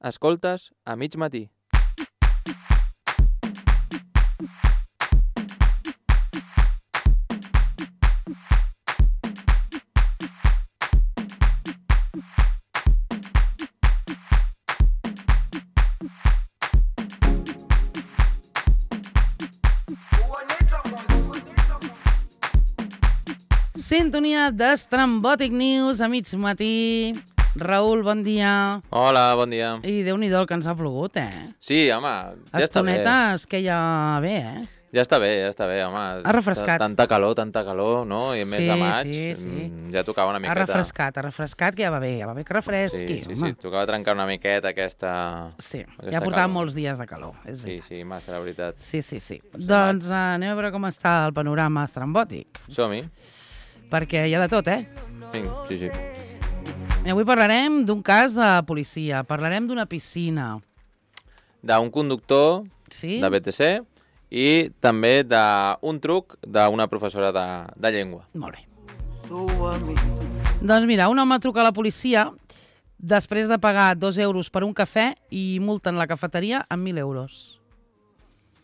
Escoltes a mig matí. Sintonia d'Estrambòtic News a mig matí. Raül, bon dia. Hola, bon dia. I Déu-n'hi-do el que ens ha plogut, Sí, home, ja està bé. Estonetes que ja bé, Ja està bé, home. Ha refrescat. Tanta calor, no? I a més de maig, ja tocava una miqueta. Ha refrescat, que ja va bé que refresqui. Sí, tocava trencar una miqueta aquesta... Sí, ja portàvem molts dies de calor, és veritat. Sí, massa, la veritat. Sí. Doncs anem a veure com està el panorama estrambòtic. Som-hi. Perquè hi ha de tot, Sí. I avui parlarem d'un cas de policia, parlarem d'una piscina. D'un conductor de BTC i també d'un truc d'una professora de llengua. Molt bé. Doncs mira, un home truca a la policia després de pagar 2 euros per un cafè i multen la cafeteria amb 1.000 euros.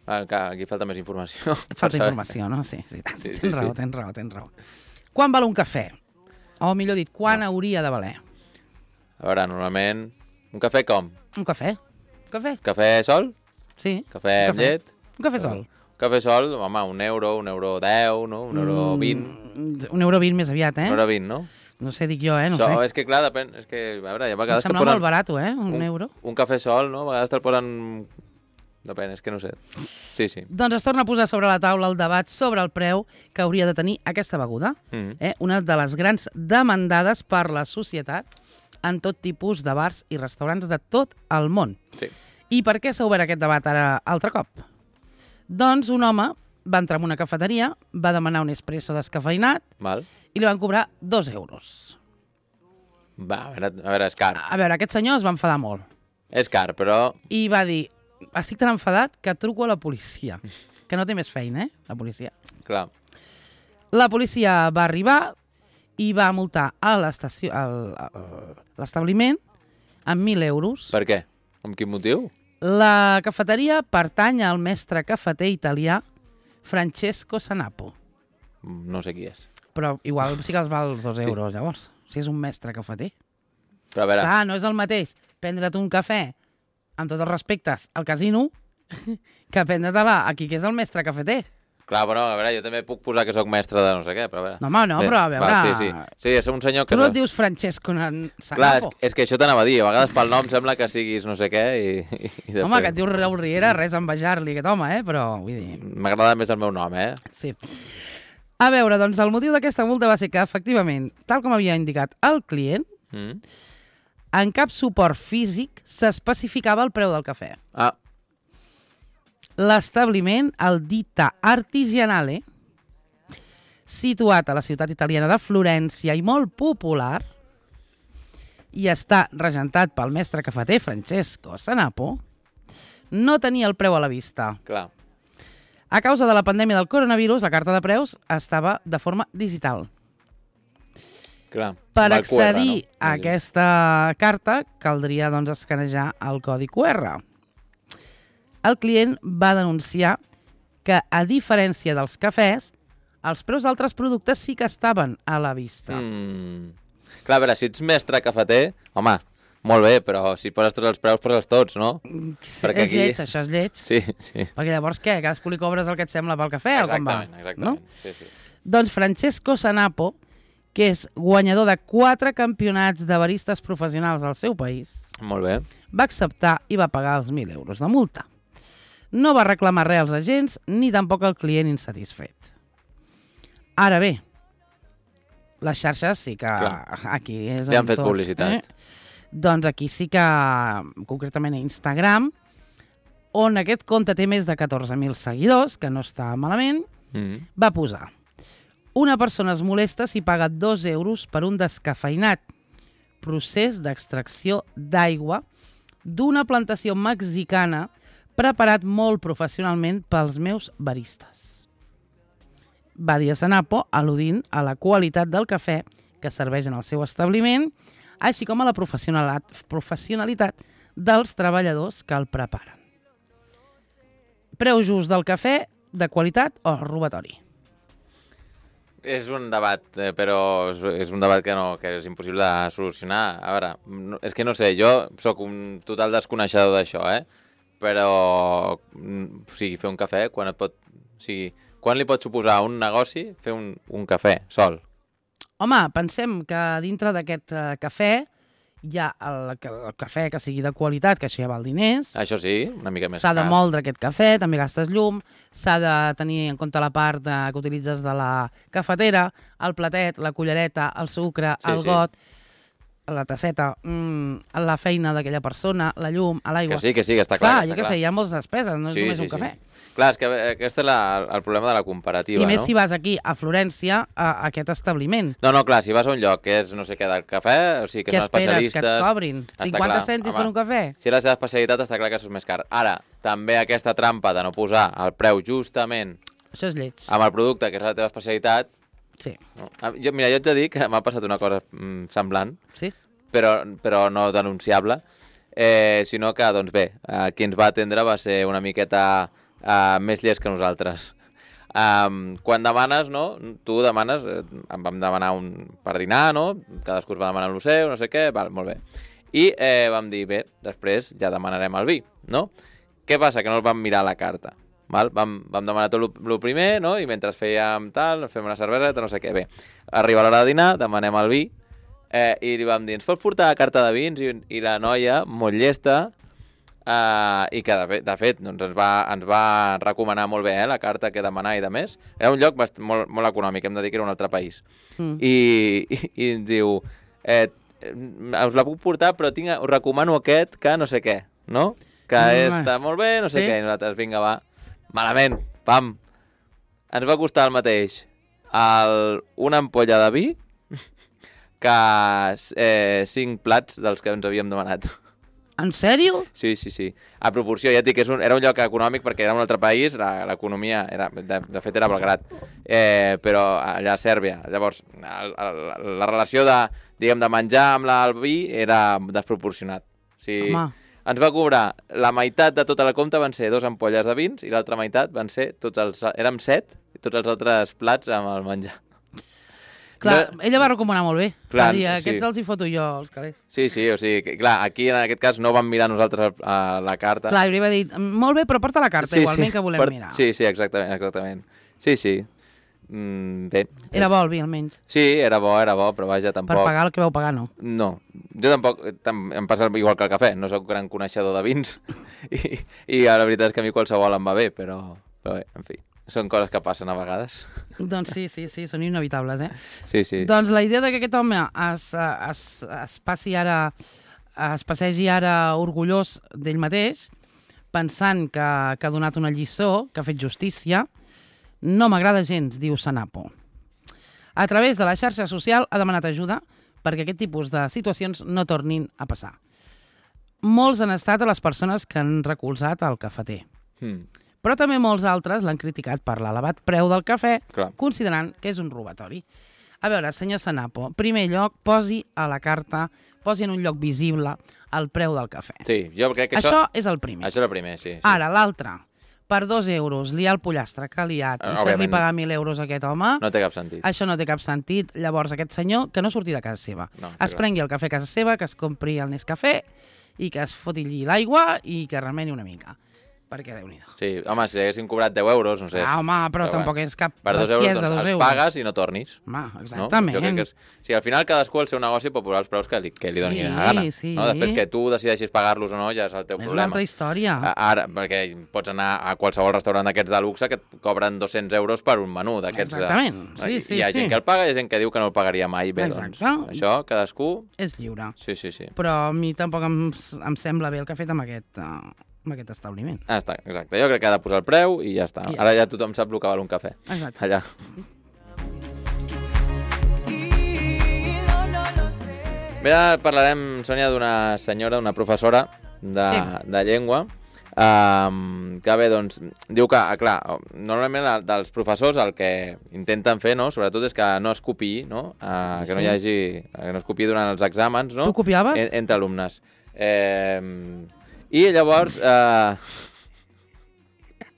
Aquí falta més informació. Falta informació, no? Sí. Tens raó. Quan val un cafè? O millor dit, quan hauria de valer? A veure, normalment... Un cafè com? Un cafè. Cafè sol? Sí. Cafè amb llet? Un cafè sol. Un cafè sol, home, €1, €1.10, no? €1.20. €1.20 més aviat, €1.20, no? No sé, dic jo, no sé. És que clar, depèn... És que, a veure, a vegades em sembla molt barat, €1. Un cafè sol, no? A vegades te'l posen... Depèn, és que no sé. Sí. Doncs es torna a posar sobre la taula el debat sobre el preu que hauria de tenir aquesta beguda. Una de les grans demandades per la societat en tot tipus de bars i restaurants de tot el món. Sí. I per què s'ha obert aquest debat ara altre cop? Doncs un home va entrar en una cafeteria, va demanar un espresso descafeïnat i li van cobrar 2 euros. Va, a veure, és car. A veure, aquest senyor es va enfadar molt. És car, però... I va dir, estic tan enfadat que truco a la policia. Que no té més feina, la policia. Clar. La policia va arribar i va multar a l'establiment amb 1.000 euros. Per què? Amb quin motiu? La cafeteria pertany al mestre cafeter italià Francesco Sanapo. No sé qui és. Però igual sí que els val els 2 euros, llavors. Si és un mestre cafeter. Però a veure... Clar, no és el mateix prendre't un cafè, amb tots els respectes, al casino, que prendre-te-la aquí, que és el mestre cafeter. Clar, però a veure, jo també puc posar que sóc mestre de no sé què, però a veure... No, home, no, però a veure... Va, sí, és un senyor que... Tu no et dius Francesco Sanapo? Clar, és que això t'anava a dir, a vegades pel nom sembla que siguis no sé què i després... Home, que et dius Raül Riera, res a envejar-li aquest home, però vull dir... M'agrada més el meu nom, Sí. A veure, doncs el motiu d'aquesta multa va ser que, efectivament, tal com havia indicat el client, en cap suport físic s'especificava el preu del cafè. L'establiment, el Ditta Artigianale, situat a la ciutat italiana de Florència i molt popular, i està regentat pel mestre cafeter Francesco Sanapo, no tenia el preu a la vista. Clar. A causa de la pandèmia del coronavirus, la carta de preus estava de forma digital. Clar. Per accedir a aquesta carta, caldria doncs, escanejar el codi QR. El client va denunciar que, a diferència dels cafès, els preus d'altres productes sí que estaven a la vista. Clar, a veure, si ets mestre cafeter, home, molt bé, però si poses tots els preus, poses tots, no? Perquè és lleig, això és lleig. Sí. Perquè llavors què? Cadascú li cobres el que et sembla pel cafè o com va? Exactament. Sí. Doncs Francesco Sanapo, que és guanyador de 4 campionats de baristes professionals al seu país, molt bé, va acceptar i va pagar els 1.000 euros de multa. No va reclamar res als agents ni tampoc al client insatisfet. Ara bé, les xarxes sí que aquí és li han fet publicitat. Doncs aquí sí que, concretament a Instagram, on aquest compte té més de 14.000 seguidors, que no està malament, va posar: una persona es molesta si paga 2 euros per un descafeïnat procés d'extracció d'aigua d'una plantació mexicana preparat molt professionalment pels meus baristes. Va dir a Sanapo, al·ludint a la qualitat del cafè que serveix en el seu establiment, així com a la professionalitat dels treballadors que el preparen. Preu just del cafè, de qualitat o robatori? És un debat, però és un debat que és impossible de solucionar. A veure, és que no sé, jo sóc un total desconeixedor d'això, però fer un cafè, quan li pot suposar un negoci fer un cafè sol? Home, pensem que dintre d'aquest cafè hi ha el cafè que sigui de qualitat, que això ja val diners. Això sí, una mica més car. S'ha de moldre aquest cafè, també gastes llum, s'ha de tenir en compte la part que utilitzes de la cafetera, el platet, la cullereta, el sucre, el got, la tasseta, la feina d'aquella persona, la llum, l'aigua. Que sí, que està clar. Clar, jo què sé, hi ha moltes despeses, no és només un cafè. Clar, és que aquest és el problema de la comparativa, no? I més si vas aquí, a Florència, a aquest establiment. No, clar, si vas a un lloc que és no sé què del cafè, o sigui, que són especialistes... Què esperes, que et cobrin? 50 cèntims per un cafè? Si és la seva especialitat, està clar que això és més car. Ara, també aquesta trampa de no posar el preu justament... Això és lleig. Amb el producte, que és la teva especialitat... Sí. No. Mira, jo ets de dir que m'ha passat una cosa semblant, sí? però no denunciable, sinó que, doncs bé, qui ens va atendre va ser una miqueta... més llest que nosaltres. Quan demanes, no? Tu demanes, vam demanar per dinar, no? Cadascú es va demanar el seu, no sé què, val, molt bé. I vam dir, bé, després ja demanarem el vi, no? Què passa? Que no el vam mirar a la carta. Val? Vam demanar tot el primer, no? I mentre fèiem tal, fem una cerveseta, no sé què. Bé, arriba l'hora de dinar, demanem el vi, i li vam dir, ens pots portar la carta de vins? I la noia, molt llesta, i que de fet doncs ens va recomanar molt bé la carta que demanar i de més. Era un lloc molt, molt econòmic, hem de dir que era un altre país. I ens diu, us la puc portar, però us recomano aquest que no sé què, no? Que està molt bé, no sé què, i nosaltres, vinga, va. Malament, pam. Ens va costar el mateix una ampolla de vi que 5 plats dels que ens havíem demanat. En sèrio? Sí. A proporció, ja et dic que era un lloc econòmic perquè era un altre país, l'economia, de fet era Belgrat, però allà a Sèrbia. Llavors, la relació de menjar amb el vi era desproporcionat. Home. Ens va cobrar la meitat de tota la compta, van ser 2 ampolles de vins, i l'altra meitat van ser érem 7, i tots els altres plats amb el menjar. Clar, ella va recomanar molt bé. Clar, va dir, aquests els hi foto jo, els calés. Sí, o sigui, clar, aquí en aquest cas no vam mirar nosaltres la carta. Clar, li va dir, molt bé, però porta la carta, igualment que volem mirar. Sí, exactament. Sí. Bé. Era bo el vi, almenys. Sí, era bo, però vaja, tampoc... Per pagar el que vau pagar, no. No, jo tampoc, em passa igual que el cafè, no sóc gran coneixedor de vins, i la veritat és que a mi qualsevol em va bé, però bé, en fi. Són coses que passen a vegades. Doncs sí, són inevitables, Sí. Doncs la idea que aquest home es passegi ara orgullós d'ell mateix, pensant que ha donat una lliçó, que ha fet justícia, no m'agrada gens, diu Sanapo. A través de la xarxa social ha demanat ajuda perquè aquest tipus de situacions no tornin a passar. Molts han estat a les persones que han recolzat el cafeter. Però també molts altres l'han criticat per l'elevat preu del cafè, considerant que és un robatori. A veure, senyor Sanapo, primer lloc, posi a la carta, posi en un lloc visible el preu del cafè. Sí, jo crec que això és el primer. Això és el primer, sí. Ara, l'altre, per 2 euros, liar el pollastre que ha liat i fer-li pagar 1.000 euros a aquest home... No té cap sentit. Això no té cap sentit. Llavors, aquest senyor, que no surti de casa seva. Es prengui el cafè a casa seva, que es compri el Nescafé i que es foti allí l'aigua i que remeni una mica. Perquè Déu-n'hi-do. Sí, home, si haguessin cobrat 10 euros, no sé. Home, però tampoc és cap per 2 euros, doncs els pagues i no tornis. Home, exactament. No? Jo crec que al final cadascú al seu negoci pot posar els preus que li doni la gana. No? Després que tu decideixis pagar-los o no ja és el teu problema. És una altra història. Ara, perquè pots anar a qualsevol restaurant d'aquests de luxe que et cobren 200 euros per un menú d'aquests. Exactament, sí. Hi ha gent que el paga i hi ha gent que diu que no el pagaria mai. Bé, doncs, això, cadascú... És lliure. Sí. Però a mi tampoc em sembla bé el que ha fet amb aquest establiment. Està, exacte. Jo crec que ha de posar el preu i ja està. Ara ja tothom sap el que val un cafè. Exacte. Allà. Bé, ara parlarem, Sònia, d'una senyora, una professora de llengua, que bé, doncs, diu que, clar, normalment dels professors el que intenten fer, no?, sobretot és que no es copiï, no?, que no hi hagi, que no es copiï durant els exàmens, no?, Tu copiaves? Entre alumnes. I llavors...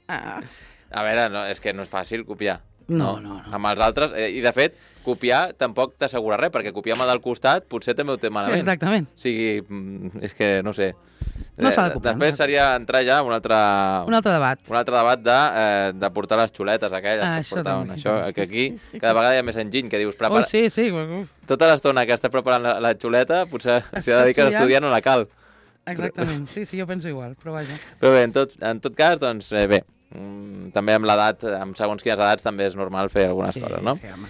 A veure, no, és que no és fàcil copiar. No. Amb els altres, i de fet, copiar tampoc t'assegura res, perquè copiar amb el del costat potser també ho té malament. Exactament. O sigui, és que no sé. No s'ha de copiar. Després seria entrar ja en un altre debat. Un altre debat de portar les xuletes aquelles que es portaven. Això, que aquí cada vegada hi ha més enginy, que dius... Sí. Tota l'estona que estàs preparant la xuleta, potser si la dediques a estudiar no la cal. Exactament, sí, jo penso igual, però vaja. Però bé, en tot cas, doncs bé, també amb l'edat, amb segons quines edats, també és normal fer algunes coses, no? Sí, home.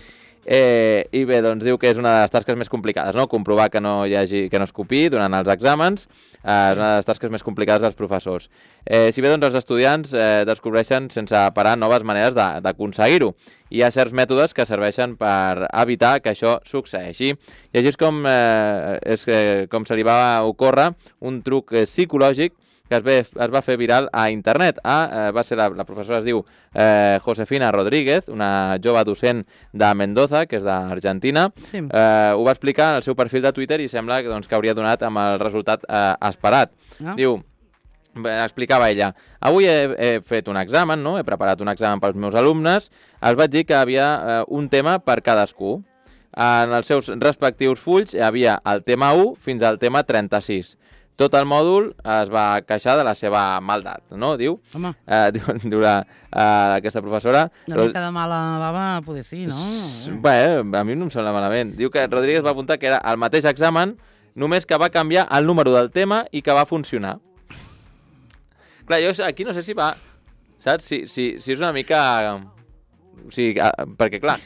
I bé, doncs diu que és una de les tasques més complicades, no? Comprovar que no es copiï durant els exàmens és una de les tasques més complicades dels professors. Si bé, doncs, els estudiants descobreixen sense parar noves maneres d'aconseguir-ho. Hi ha certs mètodes que serveixen per evitar que això succeeixi. I així és com se li va ocórrer un truc psicològic que es va fer viral a internet. Va ser la professora, es diu Josefina Rodríguez, una jove docent de Mendoza, que és d'Argentina. Sí. Ho va explicar en el seu perfil de Twitter i sembla que hauria donat amb el resultat esperat. Diu, explicava ella, avui he fet un examen, no? He preparat un examen pels meus alumnes, els vaig dir que havia un tema per cadascú. En els seus respectius fulls hi havia el tema 1 fins al tema 36. Tot el mòdul es va queixar de la seva maldat, no? Diu, diu aquesta professora... Una mica de mala bava poder sí, no? Bé, a mi no em sembla malament. Diu que Rodríguez va apuntar que era el mateix examen, només que va canviar el número del tema i que va funcionar. Clar, jo aquí no sé si va... Saps? Si és una mica... O sigui, perquè clar,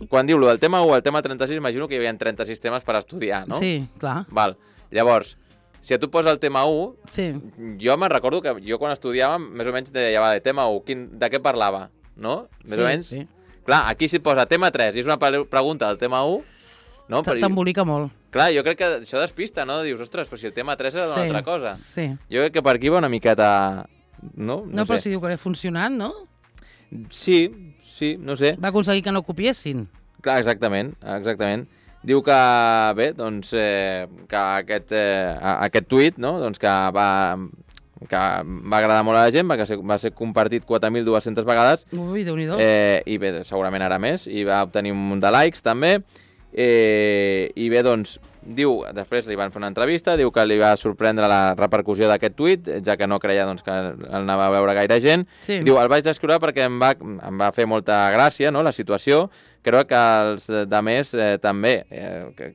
quan diu el tema 1 al tema 36, imagino que hi havia 36 temes per estudiar, no? Sí, clar. Val. Llavors, si a tu posa el tema 1, sí. Jo me'n recordo que jo quan estudiàvem, més o menys deia, de tema 1, de què parlava, no? Més o menys. Sí. Clar, aquí si et posa tema 3 i és una pregunta del tema 1, no? T'embolica molt. Clar, jo crec que això despista, no? Dius, ostres, però si el tema 3 és una altra cosa. Sí. Jo crec que per aquí va una miqueta... No sé. Però si diu que ha funcionat, no? Sí, no sé. Va aconseguir que no copiessin. Clar, exactament. Diu que, bé, doncs, que aquest tuit, no?, doncs que va agradar molt a la gent, va ser compartit 4.200 vegades. Ui, Déu-n'hi-do. I bé, segurament ara més, i va obtenir un munt de likes, també. I bé, doncs, diu, després li van fer una entrevista, diu que li va sorprendre la repercussió d'aquest tuit, ja que no creia doncs, que el anava a veure gaire gent. Sí. Diu, el vaig descriure perquè em va fer molta gràcia, no?, la situació. Crec que els altres també,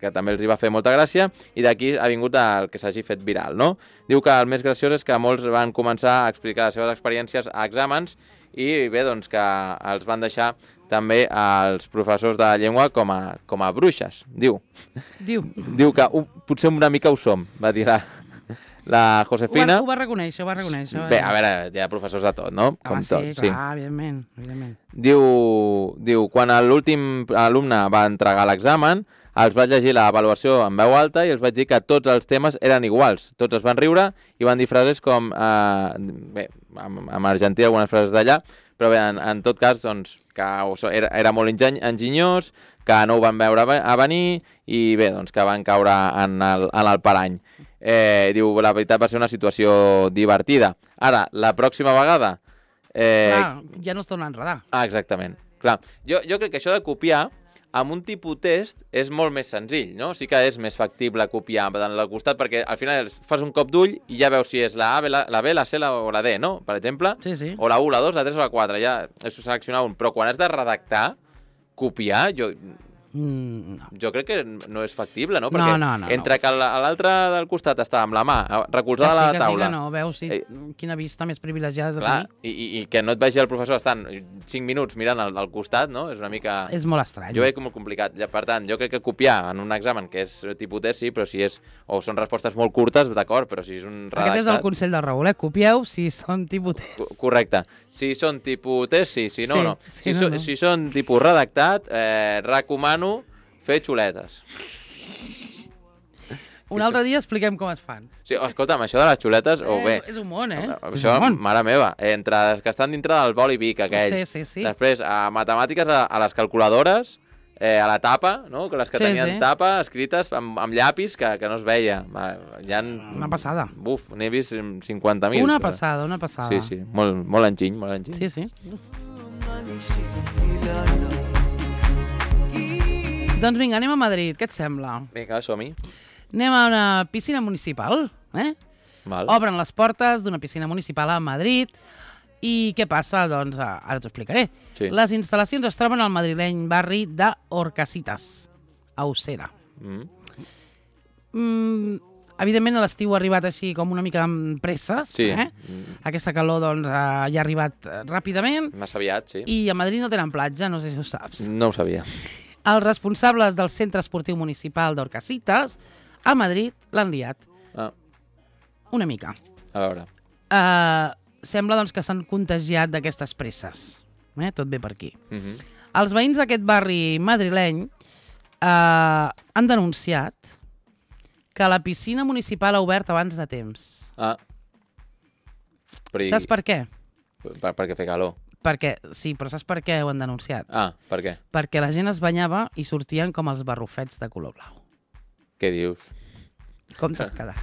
que també els hi va fer molta gràcia, i d'aquí ha vingut el que s'hagi fet viral, no? Diu que el més graciós és que molts van començar a explicar les seves experiències a exàmens i bé, doncs que els van deixar també als professors de llengua com a bruixes, diu. Diu que potser una mica ho som, va dir la Josefina. Ho va reconèixer. Bé, a veure, hi ha professors de tot, no? Com tot, sí. Clar, evidentment. Diu, quan l'últim alumne va entregar l'examen, els vaig llegir l'avaluació en veu alta i els vaig dir que tots els temes eren iguals. Tots es van riure i van dir frases com... bé, en argentí algunes frases d'allà, però bé, en tot cas, doncs, que era molt enginyós, que no ho van veure a venir i bé, doncs, que van caure en el parany. Diu, la veritat va ser una situació divertida. Ara, la pròxima vegada... Clar, ja no es torna a enredar. Exactament. Clar, jo crec que això de copiar amb un tipus test és molt més senzill, no? Sí que és més factible copiar al costat, perquè al final fas un cop d'ull i ja veus si és la A, la B, la C o la D, no? Per exemple. Sí. O la 1, la 2, la 3 o la 4. Ja és seleccionar un. Però quan has de redactar, copiar, jo crec que no és factible, no? Perquè entre que l'altre del costat està amb la mà recolzada a la taula... Que no, veus quina vista més privilegiada has de tenir. I que no et vegi el professor estant 5 minuts mirant al costat, no? És una mica... És molt estrany. Jo veig molt complicat. Per tant, jo crec que copiar en un examen que és tipus test, sí, però si és... O són respostes molt curtes, d'acord, però si és un redactat... Aquest és el consell del Raül, copieu si són tipus test. Correcte. Si són tipus test, sí. Si no, no. Si són tipus redactat, recomano fer xuletes. Un altre dia expliquem com es fan. Sí, escolta'm, això de les xuletes... És un món, Això, mare meva, entre els que estan dintre del boli Vic aquell. Sí. Després, a matemàtiques, a les calculadores, a la tapa, no? Que les que tenien tapa escrites amb llapis que no es veia. Una passada. Buf, n'he vist 50.000. Una passada. Sí, molt enginy, Sí. Doncs vinga, anem a Madrid, què et sembla? Vinga, som-hi. Anem a una piscina municipal, Val. Obren les portes d'una piscina municipal a Madrid i què passa? Doncs ara t'ho explicaré. Sí. Les instal·lacions es troben al madrileny barri d'Orcasitas, a Usera. Evidentment, a l'estiu ha arribat així com una mica amb presses. Sí. Aquesta calor doncs, ja ha arribat ràpidament. Massa aviat, sí. I a Madrid no tenen platja, no sé si ho saps. No ho sabia. Els responsables del Centre Esportiu Municipal d'Orcasitas a Madrid l'han liat. Una mica. A veure. Sembla doncs, que s'han contagiat d'aquestes presses. Tot bé per aquí. Els veïns d'aquest barri madrileny han denunciat que la piscina municipal ha obert abans de temps. Saps per què? Perquè fer calor. Sí, però saps per què ho han denunciat? Per què? Perquè la gent es banyava i sortien com els barrufets de color blau. Què dius? Com t'has quedat?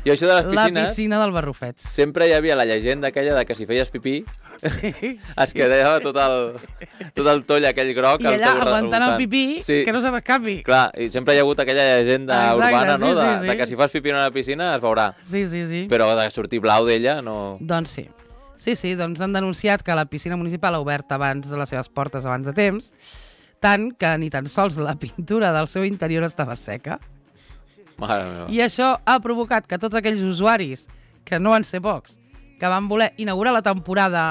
Jo això de les piscines... La piscina del barrufets. Sempre hi havia la llegenda aquella de que si feies pipí es quedava tot el toll aquell groc. I allà aguantant el pipí, que no se t'escapi. Clar, i sempre hi ha hagut aquella llegenda urbana, no? De que si fas pipí en una piscina es veurà. Sí. Però de sortir blau d'ella no... Doncs sí. Sí, doncs han denunciat que la piscina municipal ha obert abans de les seves portes abans de temps, tant que ni tan sols la pintura del seu interior estava seca. Mare meva. I això ha provocat que tots aquells usuaris, que no van ser pocs, que van voler inaugurar la temporada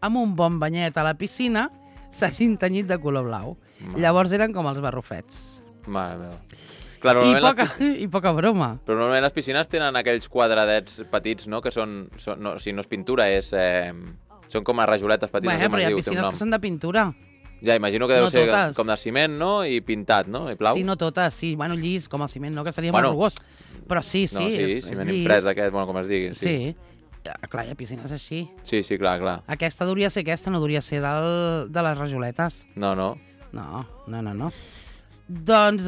amb un bon banyet a la piscina, s'hagin tenyit de color blau. Llavors eren com els barrufets. Mare meva. Clar, I poca broma. Però normalment les piscines tenen aquells quadradets petits, no? Que són no és pintura, són com a rajoletes petites. Però hi ha piscines que són de pintura. Ja, imagino que deu ser com de ciment, no? I pintat, no? I blau. Sí, no totes, sí. Bueno, llis, com el ciment, no? Que seria molt rugós. Però sí, no, sí, ciment imprès aquest, com es digui. Sí. Clar, hi ha piscines així. Sí, clar. Aquesta hauria ser aquesta, no hauria ser de les rajoletes. No. No. Doncs,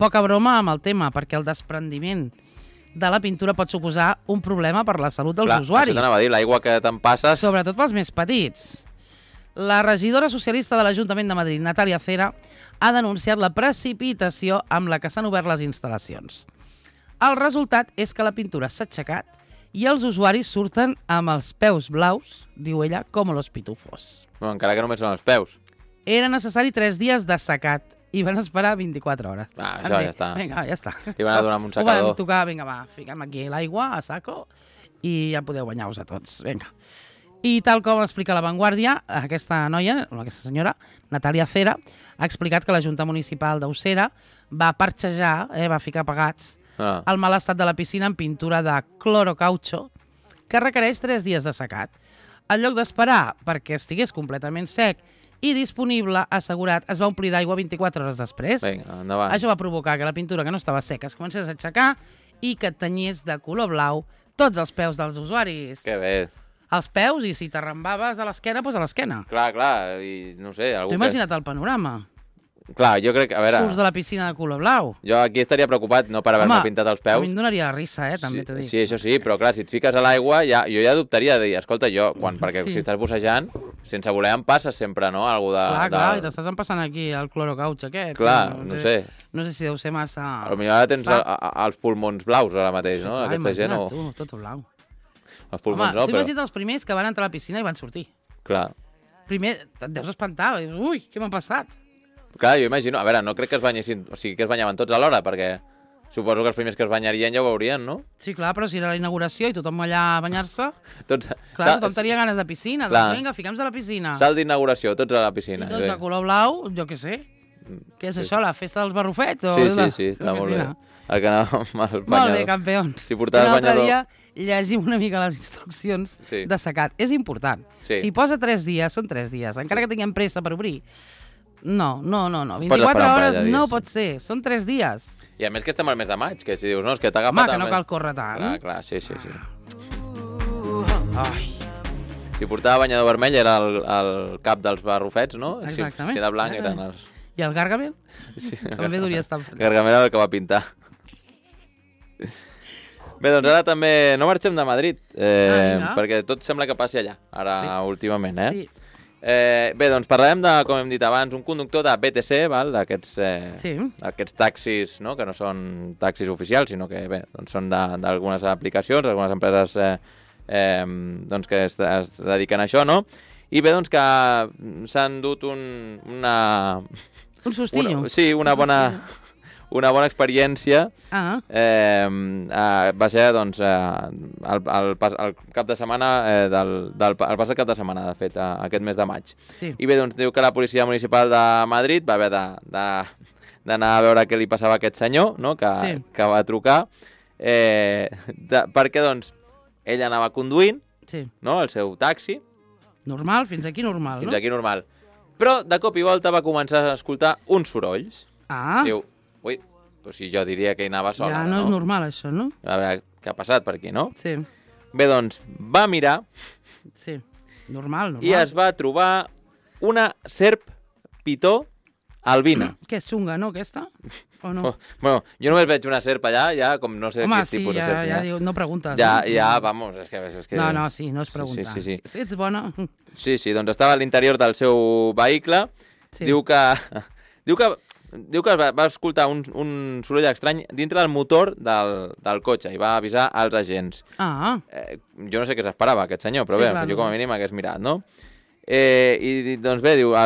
poca broma amb el tema, perquè el desprendiment de la pintura pot suposar un problema per la salut dels usuaris. Això t'anava a dir, l'aigua que te'n passes... Sobretot pels més petits. La regidora socialista de l'Ajuntament de Madrid, Natàlia Cera, ha denunciat la precipitació amb la que s'han obert les instal·lacions. El resultat és que la pintura s'ha aixecat i els usuaris surten amb els peus blaus, diu ella, com los pitufos. No, encara que només són els peus. Era necessari 3 dies de secat i van esperar 24 hores. Això ja està. Vinga, ja està. I van a donar un secador. Ho van tocar, vinga, va, fiquem aquí l'aigua a saco i ja podeu banyar-vos a tots. Vinga. I tal com explica La Vanguardia, aquesta noia, aquesta senyora, Natàlia Cera, ha explicat que la Junta Municipal d'Usera va parxejar, va ficar pagats, el mal estat de la piscina en pintura de clorocaucho, que requereix 3 dies de secat. En lloc d'esperar perquè estigués completament sec i disponible, assegurat, es va omplir d'aigua 24 hores després. Vinga, endavant. Això va provocar que la pintura que no estava seca es comencés a aixecar i que tenyís de color blau tots els peus dels usuaris. Que bé. Els peus, i si t'arrambaves a l'esquena, doncs a l'esquena. Clar, i no sé... T'ho imagina't el panorama. Clar, jo crec que, a veure... Surts de la piscina de color blau. Jo aquí estaria preocupat, no per haver-me pintat els peus. A mi em donaria la risa, també t'ho dic. Sí, això sí, però clar, si et fiques a l'aigua, jo ja dubtaria de dir, escolta, perquè si estàs bussejant, sense voler em passes sempre, no? Clar, i t'estàs empassant aquí el clorocauch aquest. Clar, no sé. No sé si deu ser massa... Potser ara tens els pulmons blaus ara mateix, no? Aquesta gent o... Imagina't tu, tot blau. Els pulmons no, però... Tu imagina't els primers que van entrar a la piscina i van sortir. Clar. Primer, et deus espantar, dius, ui, què m'ha passat? Clar, jo imagino, a veure, no crec que es banyessin, o sigui, que es banyaven tots alhora, perquè suposo que els primers que es banyarien ja ho veurien, no? Sí, clar, però si era la inauguració i tothom allà a banyar-se, clar, tothom tenia ganes de piscina, doncs vinga, fiquem-nos a la piscina. Salt d'inauguració, tots a la piscina. I tots de color blau, jo què sé. Què és això, la festa dels barrufets? Sí, està molt bé. El que anava amb el banyador. Molt bé, campions. Si portaves banyador... L'altre dia llegim una mica les instruccions de secat. És important. Si posa 3 dies, són 3 dies. Encara que tinguem pressa per obrir. No. 24 hores no pot ser. Són 3 dies. I a més que estem al mes de maig, que si dius, no, és que t'ha agafat... Home, que no cal córrer tant. Clar, sí. Ai. Si portava banyador vermell era el cap dels barrufets, no? Exactament. Si era blanc eren els... I el Gargamel? Sí, També duria estar... Gargamel era el que va pintar. Bé, doncs ara també no marxem de Madrid, perquè tot sembla que passi allà, ara últimament, Sí. Bé, doncs parlarem de, com hem dit abans, un conductor de BTC, d'aquests taxis, no? Que no són taxis oficials, sinó que bé, doncs són d'algunes aplicacions, algunes empreses doncs que es dediquen a això, no? I bé, doncs que s'han dut un sustillo. Sí, una bona experiència. Va ser, doncs, el cap de setmana, el passat cap de setmana, de fet, aquest mes de maig. Sí. I bé, doncs, diu que la policia municipal de Madrid va haver d'anar a veure què li passava a aquest senyor, no?, que va trucar, perquè, doncs, ell anava conduint, no?, el seu taxi. Normal, fins aquí normal, no? Fins aquí normal. Però, de cop i volta, va començar a escoltar uns sorolls. Diu, ui, però si jo diria que hi anava sola, ja no és normal, això, no? A veure què ha passat per aquí, no? Sí. Bé, doncs, va mirar... Sí, normal. I es va trobar una serp pitó albina. Que és xunga, no, aquesta? O no? Bueno, jo només veig una serp allà, ja, com no sé quin tipus de serp. Home, sí, ja diu, no preguntes. Ja, vamos, és que... No, sí, no es pregunta. Sí. Ets bona? Sí, doncs estava a l'interior del seu vehicle. Diu que va escoltar un soroll estrany dintre del motor del cotxe i va avisar als agents. Jo no sé què s'esperava, aquest senyor, però bé, jo com a mínim hagués mirat, no? I doncs bé, diu,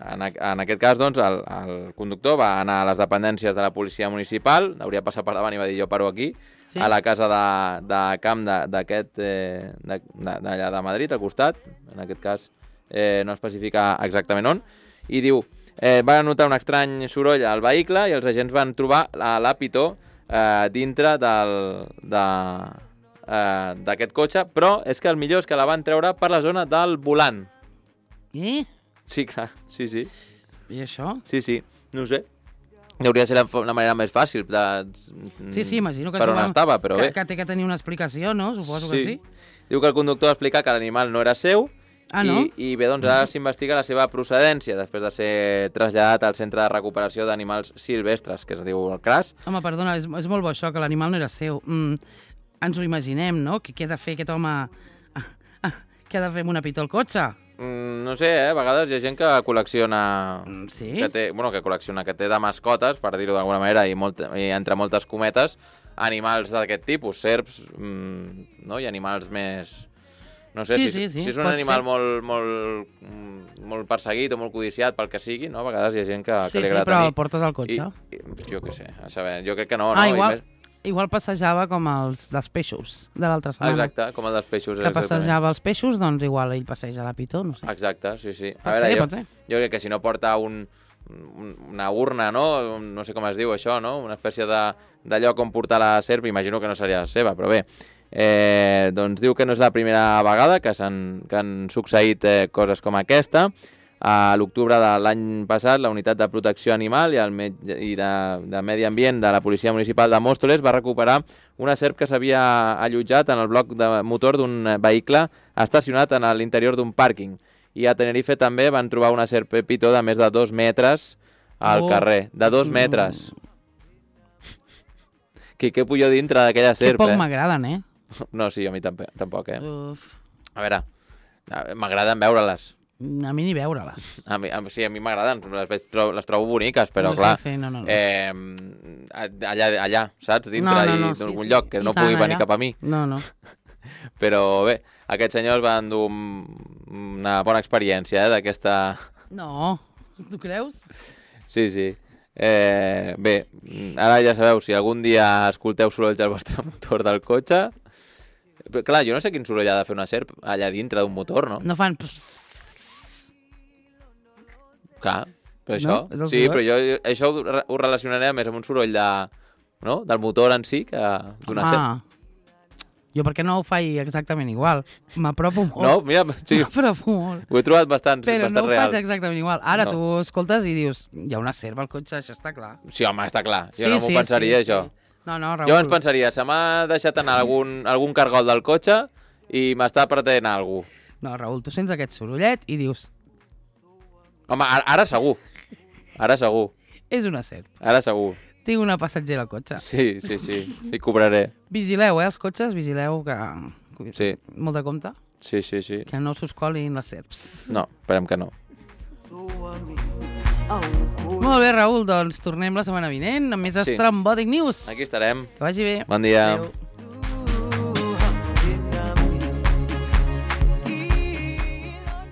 en aquest cas, doncs, el conductor va anar a les dependències de la policia municipal, hauria passat per davant i va dir jo paro aquí, a la casa de camp d'allà de Madrid, al costat, en aquest cas no especifica exactament on, i diu, va notar un estrany soroll al vehicle i els agents van trobar la pitó dintre d'aquest cotxe, però és que el millor és que la van treure per la zona del volant. Sí, clar, sí. I això? Sí, no ho sé. Hauria de ser la manera més fàcil Sí, imagino que per on estava, però bé. Que té que tenir una explicació, no? Suposo que sí. Diu que el conductor va explicar que l'animal no era seu no? i bé, doncs ara s'investiga la seva procedència després de ser traslladat al Centre de Recuperació d'Animals Silvestres, que es diu el CRAS. Home, perdona, és molt bo això, que l'animal no era seu. Ens ho imaginem, no? Què ha de fer aquest home? Què ha de fer amb una pitó al cotxe? No sé, a vegades hi ha gent que col·lecciona... Sí? Que té de mascotes, per dir-ho d'alguna manera, i entre moltes cometes, animals d'aquest tipus, serps, no? I animals més... No sé, si és un animal molt perseguit o molt codiciat pel que sigui, no? A vegades hi ha gent que li agrada tenir... Sí, però el portes al cotxe. Jo què sé, a saber, jo crec que no, no? Igual passejava com els dels peixos de l'altra setmana. Exacte, com el dels peixos. Que passejava els peixos, doncs igual ell passeja la pitó, no sé. Exacte, sí. Pot ser. Jo crec que si no porta una urna, no? No sé com es diu això, no? Una espècie de lloc on portar la serp, imagino que no seria seva, però bé. Doncs diu que no és la primera vegada que han succeït coses com aquesta. A l'octubre de l'any passat, la Unitat de Protecció Animal i de Medi Ambient de la Policia Municipal de Móstoles va recuperar una serp que s'havia allotjat en el bloc de motor d'un vehicle estacionat en l'interior d'un pàrquing. I a Tenerife també van trobar una serp pitó de més de 2 metres al carrer. De 2 metres. Què pujo dintre d'aquella serp, Que poc m'agraden, No, sí, a mi tampoc, Uf. A veure, m'agraden veure-les. A mi ni veure-les. Sí, a mi m'agraden, les trobo boniques, però clar, no. allà, saps, dintre d'algun lloc que no pugui venir cap a mi. No. Però bé, aquests senyors van dur una bona experiència d'aquesta... No, tu creus? Sí. Bé, ara ja sabeu, si algun dia escolteu sorolls del vostre motor del cotxe... Però, clar, jo no sé quin soroll ha de fer una serp allà dintre d'un motor, no? No fan... Clar, però això... No? Sí, però jo això ho relacionaré més amb un soroll del motor en si que d'una serp. Jo perquè no ho faig exactament igual. M'apropo molt. No, mira, sí. M'apropo molt. Ho he trobat bastant real. Però no ho faig exactament igual. Ara tu escoltes i dius, hi ha una serp al cotxe, això està clar. Sí, home, està clar. Jo no m'ho pensaria, això. No, Raül. Jo ens pensaria, se m'ha deixat anar algun cargol del cotxe i m'està pretén algú. No, Raül, tu sents aquest sorollet i dius... Home, ara segur. Ara segur. És una serp. Ara segur. Tinc una passatgera al cotxe. Sí. Hi cobraré. Vigileu, els cotxes, vigileu que... Sí. Molt de compte. Sí. Que no s'us colin les serps. No, esperem que no. Molt bé, Raül, doncs tornem la setmana vinent amb més Estrambòtic News. Aquí estarem. Que vagi bé. Bon dia. Adéu.